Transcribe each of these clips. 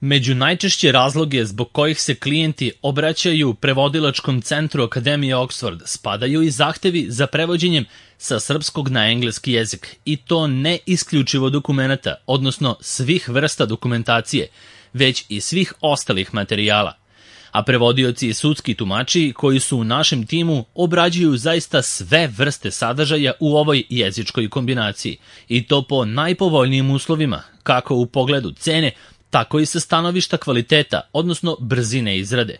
Među najčešće razloge zbog kojih se klijenti obraćaju prevodilačkom centru Akademije Oxford spadaju i zahtevi za prevođenjem sa srpskog na engleski jezik, i to ne isključivo dokumenata, odnosno svih vrsta dokumentacije, već i svih ostalih materijala. A prevodioci i sudski tumači koji su u našem timu obrađuju zaista sve vrste sadržaja u ovoj jezičkoj kombinaciji, i to po najpovoljnijim uslovima, kako u pogledu cene, tako i sa stanovišta kvaliteta, odnosno brzine izrade.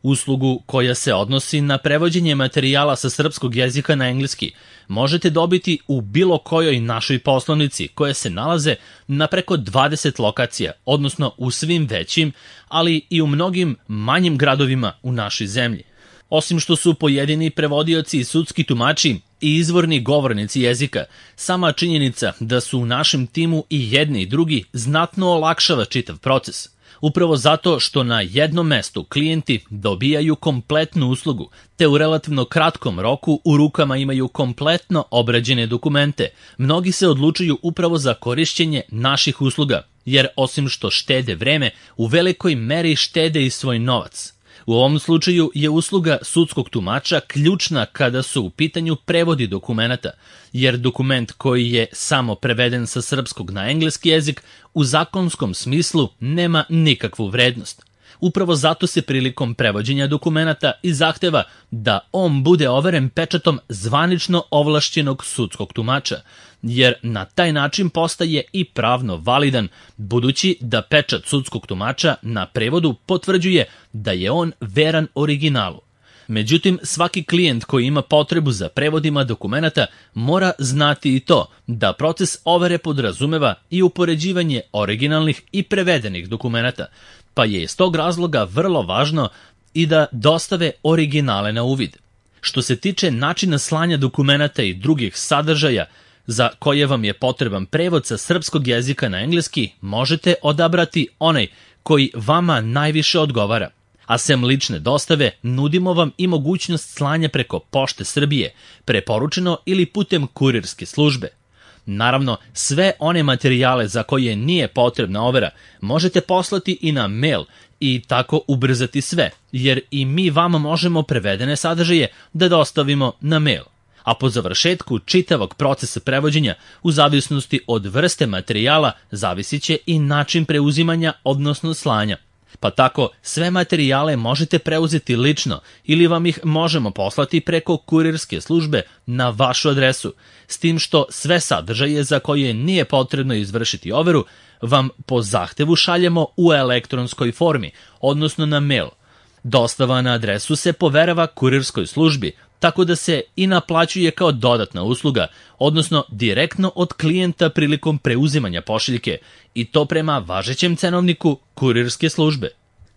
Uslugu koja se odnosi na prevođenje materijala sa srpskog jezika na engleski možete dobiti u bilo kojoj našoj poslovnici koje se nalaze na preko 20 lokacija, odnosno u svim većim, ali i u mnogim manjim gradovima u našoj zemlji. Osim što su pojedini prevodioci i sudski tumači i izvorni govornici jezika, sama činjenica da su u našem timu i jedni i drugi znatno olakšava čitav proces. Upravo zato što na jednom mestu klijenti dobijaju kompletnu uslugu, te u relativno kratkom roku u rukama imaju kompletno obrađene dokumente, mnogi se odlučuju upravo za korišćenje naših usluga, jer osim što štede vreme, u velikoj meri štede i svoj novac. U ovom slučaju je usluga sudskog tumača ključna kada su u pitanju prevodi dokumenata, jer dokument koji je samo preveden sa srpskog na engleski jezik u zakonskom smislu nema nikakvu vrednost. Upravo zato se prilikom prevođenja dokumenata i zahteva da on bude overen pečatom zvanično ovlašćenog sudskog tumača, jer na taj način postaje i pravno validan, budući da pečat sudskog tumača na prevodu potvrđuje da je on veran originalu. Međutim, svaki klijent koji ima potrebu za prevodima dokumenata mora znati i to da proces overe podrazumeva i upoređivanje originalnih i prevedenih dokumenata, pa je iz tog razloga vrlo važno i da dostave originale na uvid. Što se tiče načina slanja dokumenata i drugih sadržaja za koje vam je potreban prevod sa srpskog jezika na engleski, možete odabrati onaj koji vama najviše odgovara. A sem lične dostave, nudimo vam i mogućnost slanja preko Pošte Srbije, preporučeno ili putem kurirske službe. Naravno, sve one materijale za koje nije potrebna overa možete poslati i na mail i tako ubrzati sve, jer i mi vama možemo prevedene sadržaje da dostavimo na mail. A po završetku čitavog procesa prevođenja, u zavisnosti od vrste materijala, zavisit će i način preuzimanja, odnosno slanja. Pa tako, sve materijale možete preuzeti lično ili vam ih možemo poslati preko kurirske službe na vašu adresu, s tim što sve sadržaje za koje nije potrebno izvršiti overu vam po zahtevu šaljemo u elektronskoj formi, odnosno na mail. Dostava na adresu se poverava kurirskoj službi, tako da se i naplaćuje kao dodatna usluga, odnosno direktno od klijenta prilikom preuzimanja pošiljke, i to prema važećem cenovniku kurirske službe.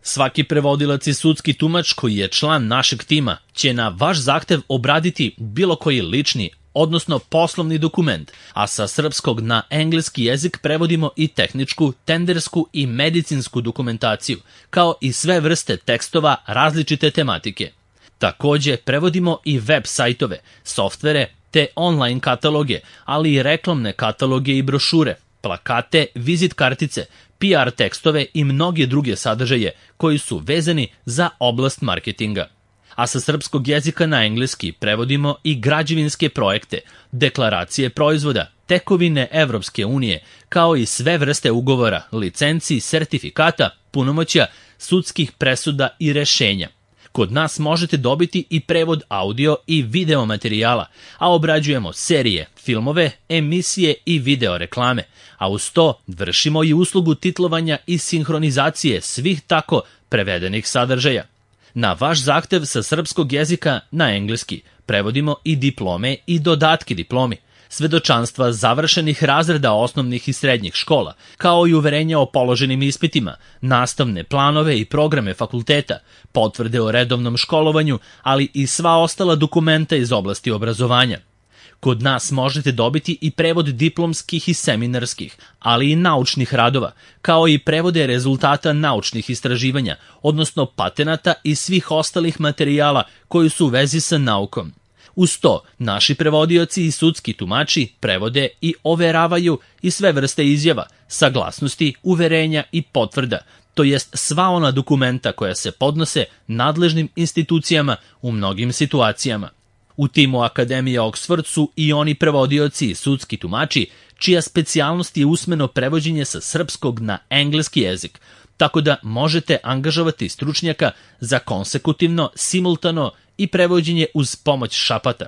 Svaki prevodilac i sudski tumač koji je član našeg tima će na vaš zahtev obraditi bilo koji lični, odnosno poslovni dokument, a sa srpskog na engleski jezik prevodimo i tehničku, tendersku i medicinsku dokumentaciju, kao i sve vrste tekstova različite tematike. Takođe, prevodimo i web sajtove, softvere te online kataloge, ali i reklamne kataloge i brošure, plakate, vizit kartice, PR tekstove i mnoge druge sadržaje koji su vezani za oblast marketinga. A sa srpskog jezika na engleski prevodimo i građevinske projekte, deklaracije proizvoda, tekovine Evropske unije, kao i sve vrste ugovora, licenci, sertifikata, punomoćja, sudskih presuda i rešenja. Kod nas možete dobiti i prevod audio i video materijala, a obrađujemo serije, filmove, emisije i video reklame, a uz to vršimo i uslugu titlovanja i sinhronizacije svih tako prevedenih sadržaja. Na vaš zahtev sa srpskog jezika na engleski prevodimo i diplome i dodatke diplomi, svedočanstva završenih razreda osnovnih i srednjih škola, kao i uverenja o položenim ispitima, nastavne planove i programe fakulteta, potvrde o redovnom školovanju, ali i sva ostala dokumenta iz oblasti obrazovanja. Kod nas možete dobiti i prevod diplomskih i seminarskih, ali i naučnih radova, kao i prevode rezultata naučnih istraživanja, odnosno patenata i svih ostalih materijala koji su u vezi sa naukom. Uz to, naši prevodioci i sudski tumači prevode i overavaju i sve vrste izjava, saglasnosti, uverenja i potvrda, to jest sva ona dokumenta koja se podnose nadležnim institucijama u mnogim situacijama. U timu Akademije Oxford su i oni prevodioci i sudski tumači, čija specijalnost je usmeno prevođenje sa srpskog na engleski jezik, tako da možete angažovati stručnjaka za konsekutivno, simultano i prevođenje uz pomoć šapata.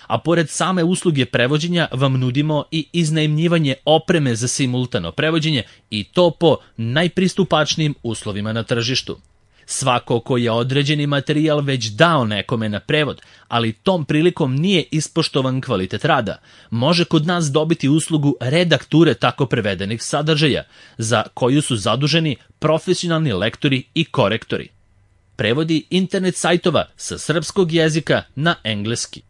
A pored same usluge prevođenja vam nudimo i iznajmljivanje opreme za simultano prevođenje i to po najpristupačnijim uslovima na tržištu. Svako ko je određeni materijal već dao nekome na prevod, ali tom prilikom nije ispoštovan kvalitet rada, može kod nas dobiti uslugu redakture tako prevedenih sadržaja, za koju su zaduženi profesionalni lektori i korektori. Prevodi internet sajtova sa srpskog jezika na engleski.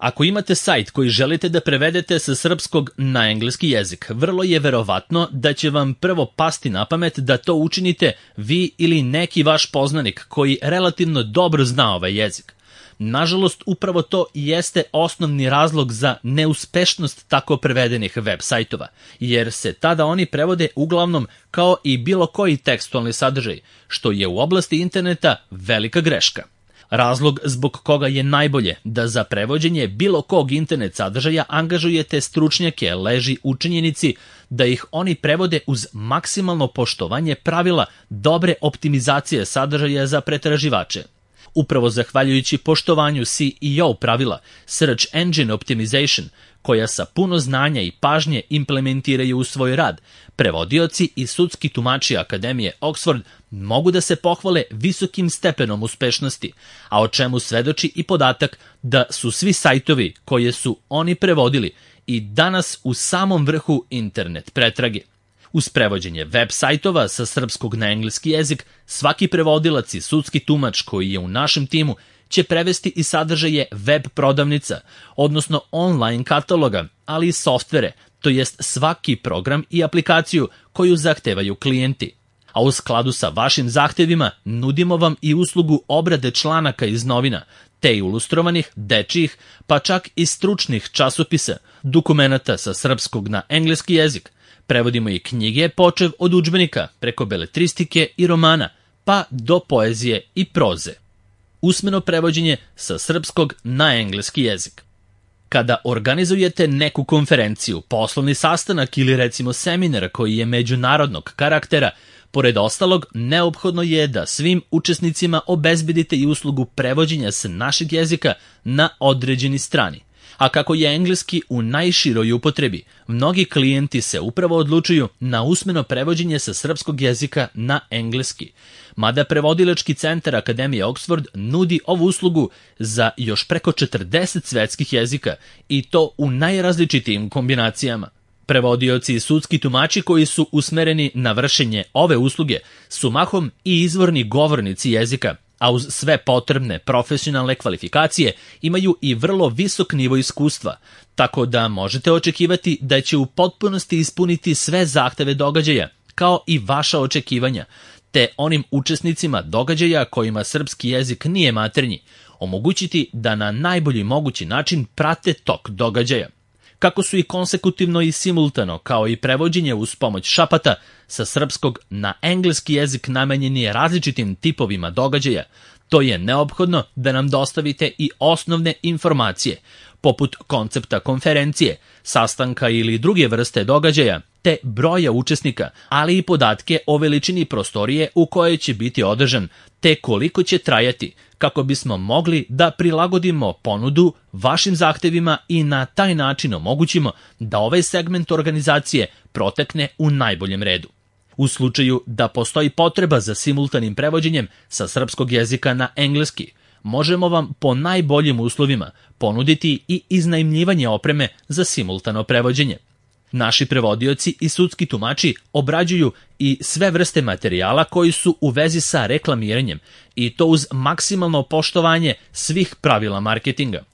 Ako imate sajt koji želite da prevedete sa srpskog na engleski jezik, vrlo je verovatno da će vam prvo pasti na pamet da to učinite vi ili neki vaš poznanik koji relativno dobro zna ovaj jezik. Nažalost, upravo to jeste osnovni razlog za neuspešnost tako prevedenih web sajtova, jer se tada oni prevode uglavnom kao i bilo koji tekstualni sadržaj, što je u oblasti interneta velika greška. Razlog zbog koga je najbolje da za prevođenje bilo kog internet sadržaja angažujete stručnjake leži u činjenici da ih oni prevode uz maksimalno poštovanje pravila dobre optimizacije sadržaja za pretraživače. Upravo zahvaljujući poštovanju SEO pravila, Search Engine Optimization, koja sa puno znanja i pažnje implementiraju u svoj rad, prevodioci i sudski tumači Akademije Oxford mogu da se pohvale visokim stepenom uspešnosti, a o čemu svedoči i podatak da su svi sajtovi koje su oni prevodili i danas u samom vrhu internet pretrage. Uz prevođenje web sajtova sa srpskog na engleski jezik, svaki prevodilac i sudski tumač koji je u našem timu će prevesti i sadržaje web prodavnica, odnosno online kataloga, ali i softvere, to jest svaki program i aplikaciju koju zahtevaju klijenti. A u skladu sa vašim zahtevima nudimo vam i uslugu obrade članaka iz novina, te ilustrovanih, dečijih, pa čak i stručnih časopisa, dokumenata sa srpskog na engleski jezik. Prevodimo i knjige počev od udžbenika, preko beletristike i romana, pa do poezije i proze. Usmeno prevođenje sa srpskog na engleski jezik. Kada organizujete neku konferenciju, poslovni sastanak ili recimo seminar koji je međunarodnog karaktera, pored ostalog, neophodno je da svim učesnicima obezbedite i uslugu prevođenja sa našeg jezika na određeni strani. A kako je engleski u najširoj upotrebi, mnogi klijenti se upravo odlučuju na usmeno prevođenje sa srpskog jezika na engleski. Mada prevodilački centar Akademije Oxford nudi ovu uslugu za još preko 40 svetskih jezika i to u najrazličitijim kombinacijama. Prevodioci i sudski tumači koji su usmereni na vršenje ove usluge su mahom i izvorni govornici jezika, a uz sve potrebne profesionalne kvalifikacije imaju i vrlo visok nivo iskustva, tako da možete očekivati da će u potpunosti ispuniti sve zahteve događaja, kao i vaša očekivanja, te onim učesnicima događaja kojima srpski jezik nije maternji, omogućiti da na najbolji mogući način prate tok događaja. Kako su i konsekutivno i simultano, kao i prevođenje uz pomoć šapata, sa srpskog na engleski jezik namenjeni različitim tipovima događaja, to je neophodno da nam dostavite i osnovne informacije, poput koncepta konferencije, sastanka ili druge vrste događaja, te broja učesnika, ali i podatke o veličini prostorije u kojoj će biti održan, te koliko će trajati, kako bismo mogli da prilagodimo ponudu vašim zahtevima i na taj način omogućimo da ovaj segment organizacije protekne u najboljem redu. U slučaju da postoji potreba za simultanim prevođenjem sa srpskog jezika na engleski, možemo vam po najboljim uslovima ponuditi i iznajmljivanje opreme za simultano prevođenje. Naši prevodioci i sudski tumači obrađuju i sve vrste materijala koji su u vezi sa reklamiranjem i to uz maksimalno poštovanje svih pravila marketinga.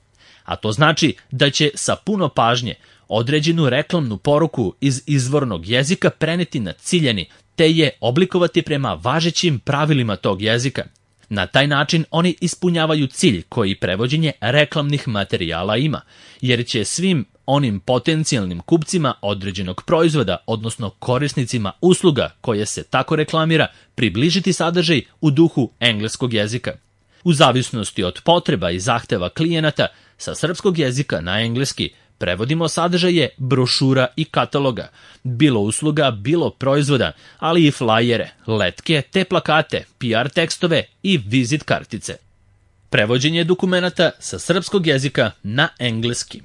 A to znači da će sa puno pažnje određenu reklamnu poruku iz izvornog jezika preneti na ciljani, te je oblikovati prema važećim pravilima tog jezika. Na taj način oni ispunjavaju cilj koji prevođenje reklamnih materijala ima, jer će svim onim potencijalnim kupcima određenog proizvoda, odnosno korisnicima usluga koje se tako reklamira, približiti sadržaj u duhu engleskog jezika. U zavisnosti od potreba i zahteva klijenata, sa srpskog jezika na engleski prevodimo sadržaje brošura i kataloga, bilo usluga, bilo proizvoda, ali i flajere, letke, te plakate, PR tekstove i vizit kartice. Prevođenje dokumenata sa srpskog jezika na engleski.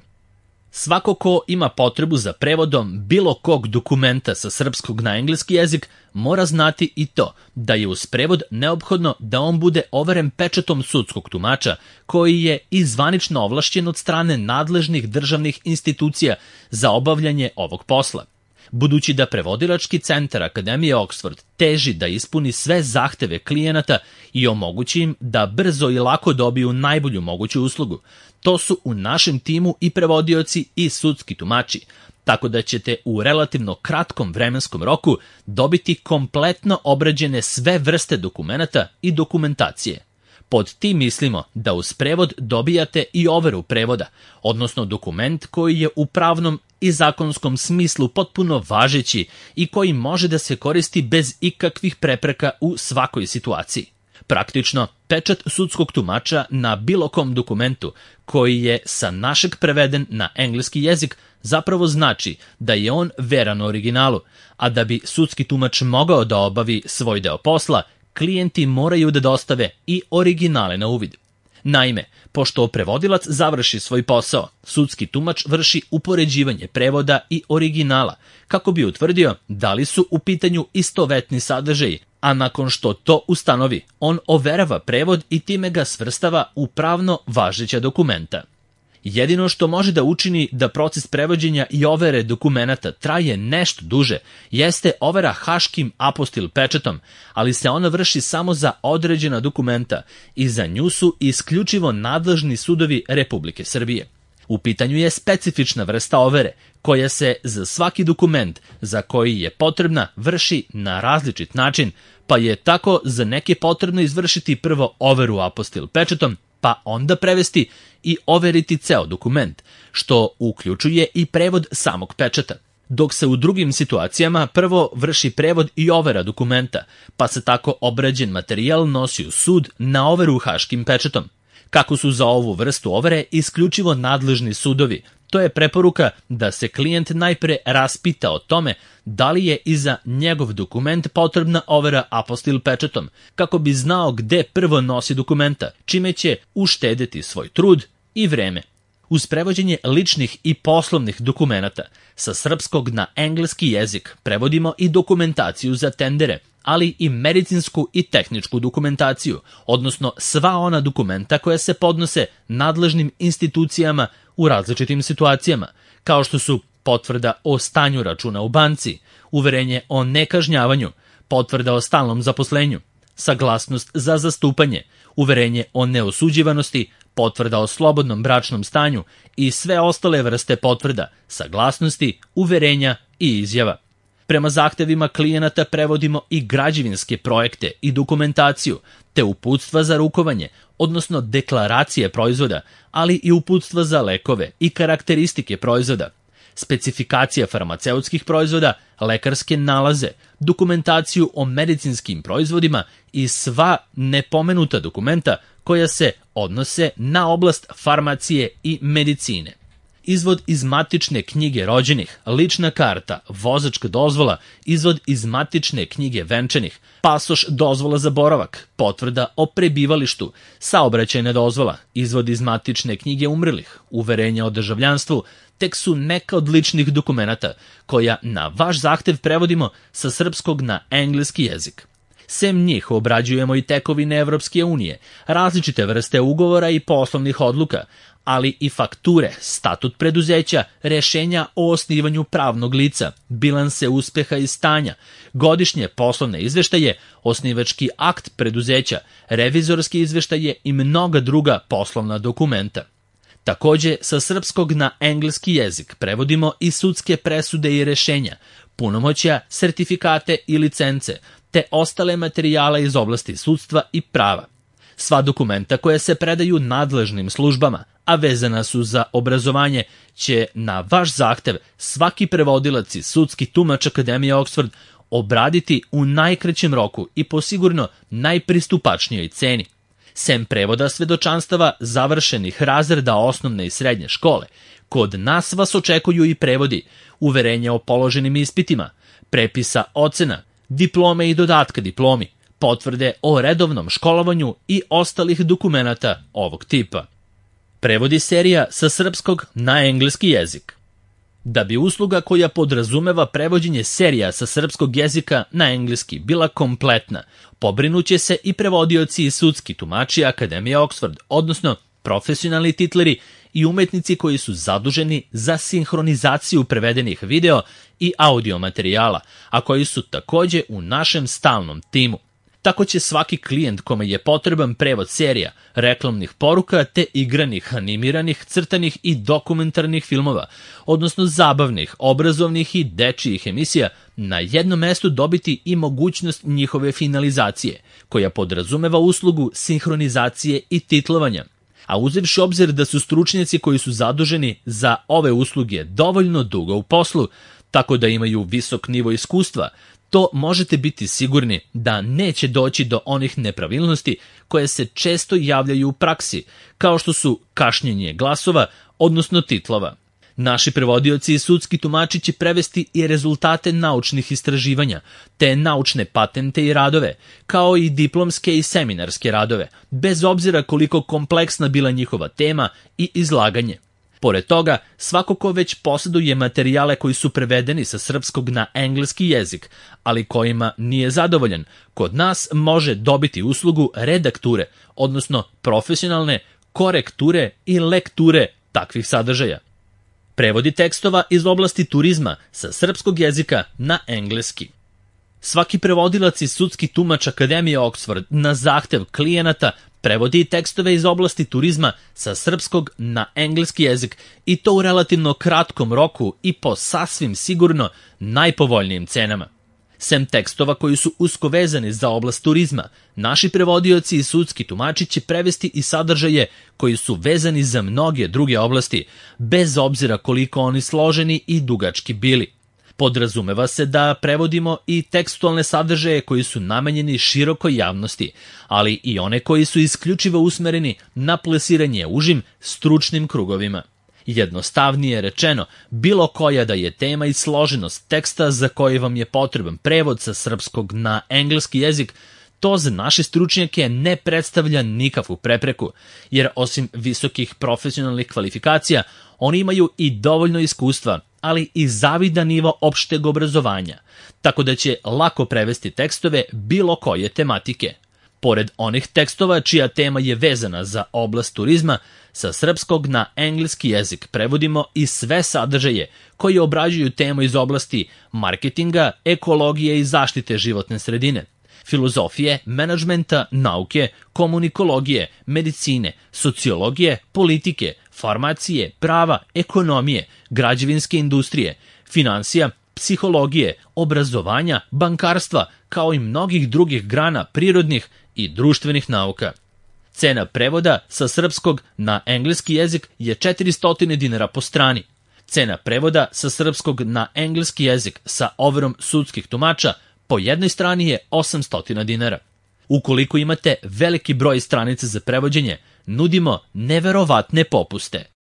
Svako ko ima potrebu za prevodom bilo kog dokumenta sa srpskog na engleski jezik mora znati i to da je uz prevod neophodno da on bude overen pečatom sudskog tumača koji je i zvanično ovlašćen od strane nadležnih državnih institucija za obavljanje ovog posla. Budući da prevodilački centar Akademije Oxford teži da ispuni sve zahteve klijenata i omogući im da brzo i lako dobiju najbolju moguću uslugu, to su u našem timu i prevodioci i sudski tumači, tako da ćete u relativno kratkom vremenskom roku dobiti kompletno obrađene sve vrste dokumenata i dokumentacije. Pod tim mislimo da uz prevod dobijate i overu prevoda, odnosno dokument koji je u pravnom i zakonskom smislu potpuno važeći i koji može da se koristi bez ikakvih prepreka u svakoj situaciji. Praktično, pečat sudskog tumača na bilo kom dokumentu koji je sa našeg preveden na engleski jezik zapravo znači da je on veran originalu, a da bi sudski tumač mogao da obavi svoj deo posla, klijenti moraju da dostave i originale na uvid. Naime, pošto prevodilac završi svoj posao, sudski tumač vrši upoređivanje prevoda i originala kako bi utvrdio da li su u pitanju istovetni sadržaji, a nakon što to ustanovi, on overava prevod i time ga svrstava u pravno važeća dokumenta. Jedino što može da učini da proces prevođenja i overe dokumenata traje nešto duže, jeste overa haškim apostil pečatom, ali se ona vrši samo za određena dokumenta i za nju su isključivo nadležni sudovi Republike Srbije. U pitanju je specifična vrsta overe, koja se za svaki dokument za koji je potrebna vrši na različit način, pa je tako za neke potrebno izvršiti prvo overu apostil pečatom, pa onda prevesti i overiti ceo dokument, što uključuje i prevod samog pečata. Dok se u drugim situacijama prvo vrši prevod i overa dokumenta, pa se tako obrađen materijal nosi u sud na overu haškim pečatom. Kako su za ovu vrstu overe isključivo nadležni sudovi, to je preporuka da se klijent najpre raspita o tome da li je i za njegov dokument potrebna overa apostil pečatom, kako bi znao gde prvo nosi dokumenta, čime će uštedeti svoj trud i vreme. Uz prevođenje ličnih i poslovnih dokumenata sa srpskog na engleski jezik prevodimo i dokumentaciju za tendere, ali i medicinsku i tehničku dokumentaciju, odnosno sva ona dokumenta koja se podnose nadležnim institucijama u različitim situacijama, kao što su potvrda o stanju računa u banci, uverenje o nekažnjavanju, potvrda o stalnom zaposlenju, saglasnost za zastupanje, uverenje o neosuđivanosti, potvrda o slobodnom bračnom stanju i sve ostale vrste potvrda, saglasnosti, uverenja i izjava. Prema zahtevima klijenata prevodimo i građevinske projekte i dokumentaciju, te uputstva za rukovanje, odnosno deklaracije proizvoda, ali i uputstva za lekove i karakteristike proizvoda, specifikacija farmaceutskih proizvoda, lekarske nalaze, dokumentaciju o medicinskim proizvodima i sva nepomenuta dokumenta koja se odnose na oblast farmacije i medicine. Izvod iz matične knjige rođenih, lična karta, vozačka dozvola, izvod iz matične knjige venčanih, pasoš, dozvola za boravak, potvrda o prebivalištu, saobraćajna dozvola, izvod iz matične knjige umrlih, uverenja o državljanstvu, tek su neka od ličnih dokumenata koja na vaš zahtev prevodimo sa srpskog na engleski jezik. Sem njih obrađujemo i tekovine Evropske unije, različite vrste ugovora i poslovnih odluka, ali i fakture, statut preduzeća, rešenja o osnivanju pravnog lica, bilanse uspeha i stanja, godišnje poslovne izveštaje, osnivački akt preduzeća, revizorski izveštaje i mnoga druga poslovna dokumenta. Takođe, sa srpskog na engleski jezik prevodimo i sudske presude i rešenja, punomoćja, sertifikate i licence, te ostale materijale iz oblasti sudstva i prava. Sva dokumenta koja se predaju nadležnim službama, a vezana su za obrazovanje, će na vaš zahtev svaki prevodilac i sudski tumač Akademije Oxford obraditi u najkraćem roku i po sigurno najpristupačnijoj ceni. Sem prevoda svedočanstava završenih razreda osnovne i srednje škole, kod nas vas očekuju i prevodi, uverenja o položenim ispitima, prepisa ocena, diplome i dodatka diplomi, potvrde o redovnom školovanju i ostalih dokumenata ovog tipa. Prevodi serija sa srpskog na engleski jezik. Da bi usluga koja podrazumeva prevođenje serija sa srpskog jezika na engleski bila kompletna, pobrinuće se i prevodioci i sudski tumači Akademije Oxford, odnosno profesionalni titleri i umetnici koji su zaduženi za sinhronizaciju prevedenih video i audio materijala, a koji su takođe u našem stalnom timu. Tako će svaki klijent kome je potreban prevod serija, reklamnih poruka te igranih, animiranih, crtanih i dokumentarnih filmova, odnosno zabavnih, obrazovnih i dečijih emisija, na jednom mestu dobiti i mogućnost njihove finalizacije, koja podrazumeva uslugu sinhronizacije i titlovanja. A uzevši obzir da su stručnjaci koji su zaduženi za ove usluge dovoljno dugo u poslu, tako da imaju visok nivo iskustva, to možete biti sigurni da neće doći do onih nepravilnosti koje se često javljaju u praksi, kao što su kašnjenje glasova, odnosno titlova. Naši prevodioci i sudski tumači će prevesti i rezultate naučnih istraživanja, te naučne patente i radove, kao i diplomske i seminarske radove, bez obzira koliko kompleksna bila njihova tema i izlaganje. Pored toga, svako ko već posjeduje materijale koji su prevedeni sa srpskog na engleski jezik, ali kojima nije zadovoljan, kod nas može dobiti uslugu redakture, odnosno profesionalne korekture i lekture takvih sadržaja. Prevodi tekstova iz oblasti turizma sa srpskog jezika na engleski. Svaki prevodilac i sudski tumač Akademije Oxford na zahtev klijenata prevodi tekstove iz oblasti turizma sa srpskog na engleski jezik i to u relativno kratkom roku i po sasvim sigurno najpovoljnijim cenama. Sem tekstova koji su usko vezani za oblast turizma, naši prevodioci i sudski tumači će prevesti i sadržaje koji su vezani za mnoge druge oblasti, bez obzira koliko oni složeni i dugački bili. Podrazumeva se da prevodimo i tekstualne sadržaje koji su namenjeni širokoj javnosti, ali i one koji su isključivo usmereni na plesiranje užim stručnim krugovima. Jednostavnije rečeno, bilo koja da je tema i složenost teksta za koji vam je potreban prevod sa srpskog na engleski jezik, to za naše stručnjake ne predstavlja nikakvu prepreku, jer osim visokih profesionalnih kvalifikacija, oni imaju i dovoljno iskustva, ali i zavidan nivo opšteg obrazovanja, tako da će lako prevesti tekstove bilo koje tematike. Pored onih tekstova čija tema je vezana za oblast turizma, sa srpskog na engleski jezik prevodimo i sve sadržaje koji obrađuju temu iz oblasti marketinga, ekologije i zaštite životne sredine, filozofije, menadžmenta, nauke, komunikologije, medicine, sociologije, politike, farmacije, prava, ekonomije, građevinske industrije, finansija, psihologije, obrazovanja, bankarstva, kao i mnogih drugih grana prirodnih i društvenih nauka. Cena prevoda sa srpskog na engleski jezik je 400 dinara po strani. Cena prevoda sa srpskog na engleski jezik sa overom sudskih tumača po jednoj strani je 800 dinara. Ukoliko imate veliki broj stranica za prevođenje, nudimo neverovatne popuste.